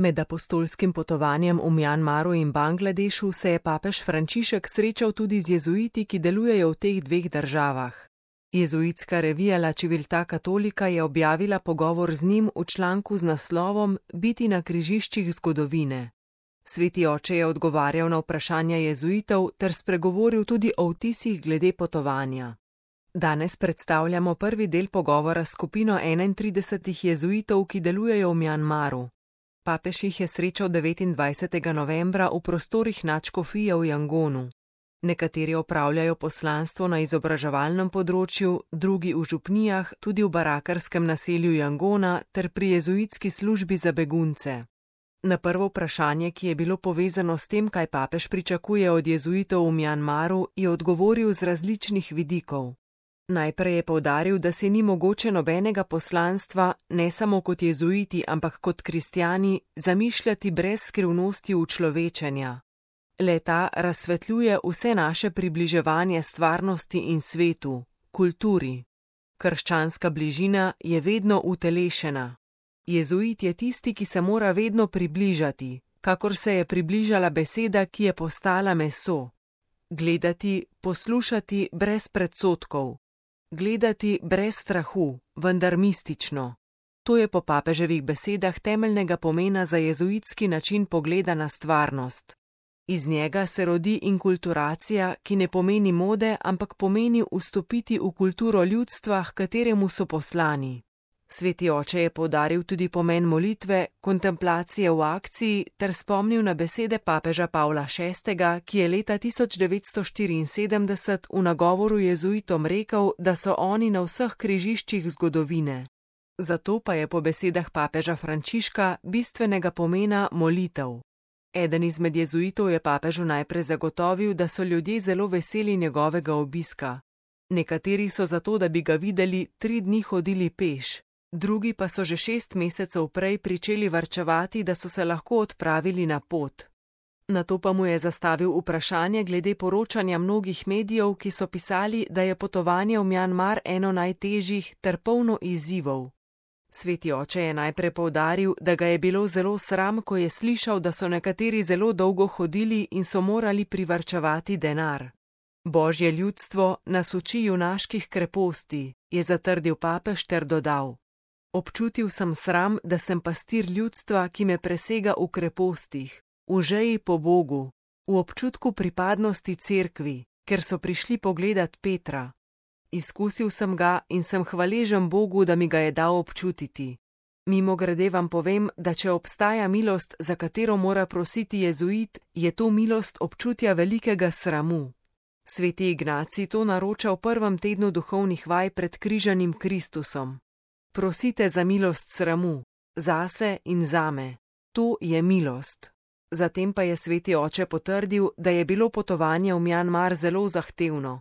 Med apostolskim potovanjem v Mjanmaru in Bangladešu se je papež Frančišek srečal tudi z jezuiti, ki delujejo v teh dveh državah. Jezuitska revija La Civiltà Cattolica je objavila pogovor z njim v članku z naslovom Biti na križiščih zgodovine. Sveti oče je odgovarjal na vprašanja jezuitov ter spregovoril tudi o vtisih glede potovanja. Danes predstavljamo prvi del pogovora s skupino 31 jezuitov, ki delujejo v Mjanmaru. Papež jih je srečal 29. novembra v prostorih nadškofije v Jangonu. Nekateri opravljajo poslanstvo na izobraževalnem področju, drugi v župnijah, tudi v barakarskem naselju Jangona ter pri jezuitski službi za begunce. Na prvo vprašanje, ki je bilo povezano s tem, kaj papež pričakuje od jezuitov v Mjanmaru, je odgovoril z različnih vidikov. Najprej je poudaril, da si ni mogoče nobenega poslanstva, ne samo kot jezuiti, ampak kot kristjani, zamišljati brez skrivnosti učlovečenja. Le-ta razsvetljuje vse naše približevanje stvarnosti in svetu, kulturi. Krščanska bližina je vedno utelešena. Jezuit je tisti, ki se mora vedno približati, kakor se je približala beseda, ki je postala meso. Gledati, poslušati brez predsodkov. Gledati brez strahu, vendar mistično. To je po papeževih besedah temeljnega pomena za jezuitski način pogleda na stvarnost. Iz njega se rodi inkulturacija, ki ne pomeni mode, ampak pomeni vstopiti v kulturo ljudstva, h kateremu so poslani. Sveti oče je poudaril tudi pomen molitve, kontemplacije v akciji ter spomnil na besede papeža Pavla VI., ki je leta 1974 v nagovoru jezuitom rekel, da so oni na vseh križiščih zgodovine. Zato pa je po besedah papeža Frančiška bistvenega pomena molitev. Eden izmed jezuitov je papežu najprej zagotovil, da so ljudje zelo veseli njegovega obiska. Nekateri so zato, da bi ga videli, 3 dni hodili peš. Drugi pa so že 6 mesecev prej pričeli varčevati, da so se lahko odpravili na pot. Nato pa mu je zastavil vprašanje glede poročanja mnogih medijev, ki so pisali, da je potovanje v Mjanmar eno najtežjih ter polno izzivov. Sveti oče je najprej poudaril, da ga je bilo zelo sram, ko je slišal, da so nekateri zelo dolgo hodili in so morali privarčevati denar. Božje ljudstvo nas uči junaških kreposti, je zatrdil papež ter dodal. Občutil sem sram, da sem pastir ljudstva, ki me presega v krepostih, v žeji po Bogu, v občutku pripadnosti cerkvi, ker so prišli pogledat Petra. Izkusil sem ga in sem hvaležen Bogu, da mi ga je dal občutiti. Mimogrede vam povem, da če obstaja milost, za katero mora prositi jezuit, je to milost občutja velikega sramu. Sveti Ignacij to naroča v prvem tednu duhovnih vaj pred križanim Kristusom. Prosite za milost sramu, zase in zame. To je milost. Zatem pa je sveti oče potrdil, da je bilo potovanje v Mjanmar zelo zahtevno.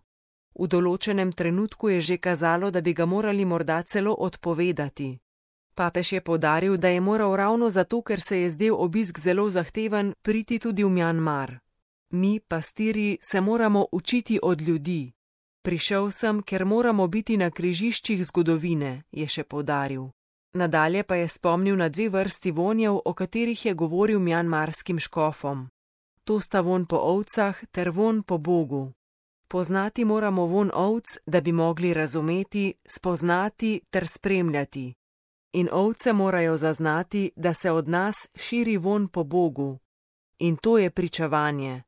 V določenem trenutku je že kazalo, da bi ga morali morda celo odpovedati. Papež je poudaril, da je moral ravno zato, ker se je zdel obisk zelo zahteven, priti tudi v Mjanmar. Mi, pastirji, se moramo učiti od ljudi. Prišel sem, ker moramo biti na križiščih zgodovine, je še poudaril. Nadalje pa je spomnil na 2 vrsti vonjev, o katerih je govoril mjanmarskim škofom. To sta vonj po ovcah ter vonj po Bogu. Poznati moramo vonj ovc, da bi mogli razumeti, spoznati ter spremljati. In ovce morajo zaznati, da se od nas širi vonj po Bogu. In to je pričevanje.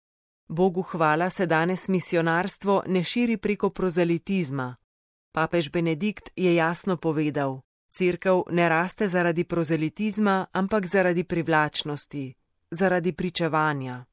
Bogu hvala se danes misionarstvo ne širi preko prozelitizma. Papež Benedikt je jasno povedal, cerkev ne raste zaradi prozelitizma, ampak zaradi privlačnosti, zaradi pričevanja.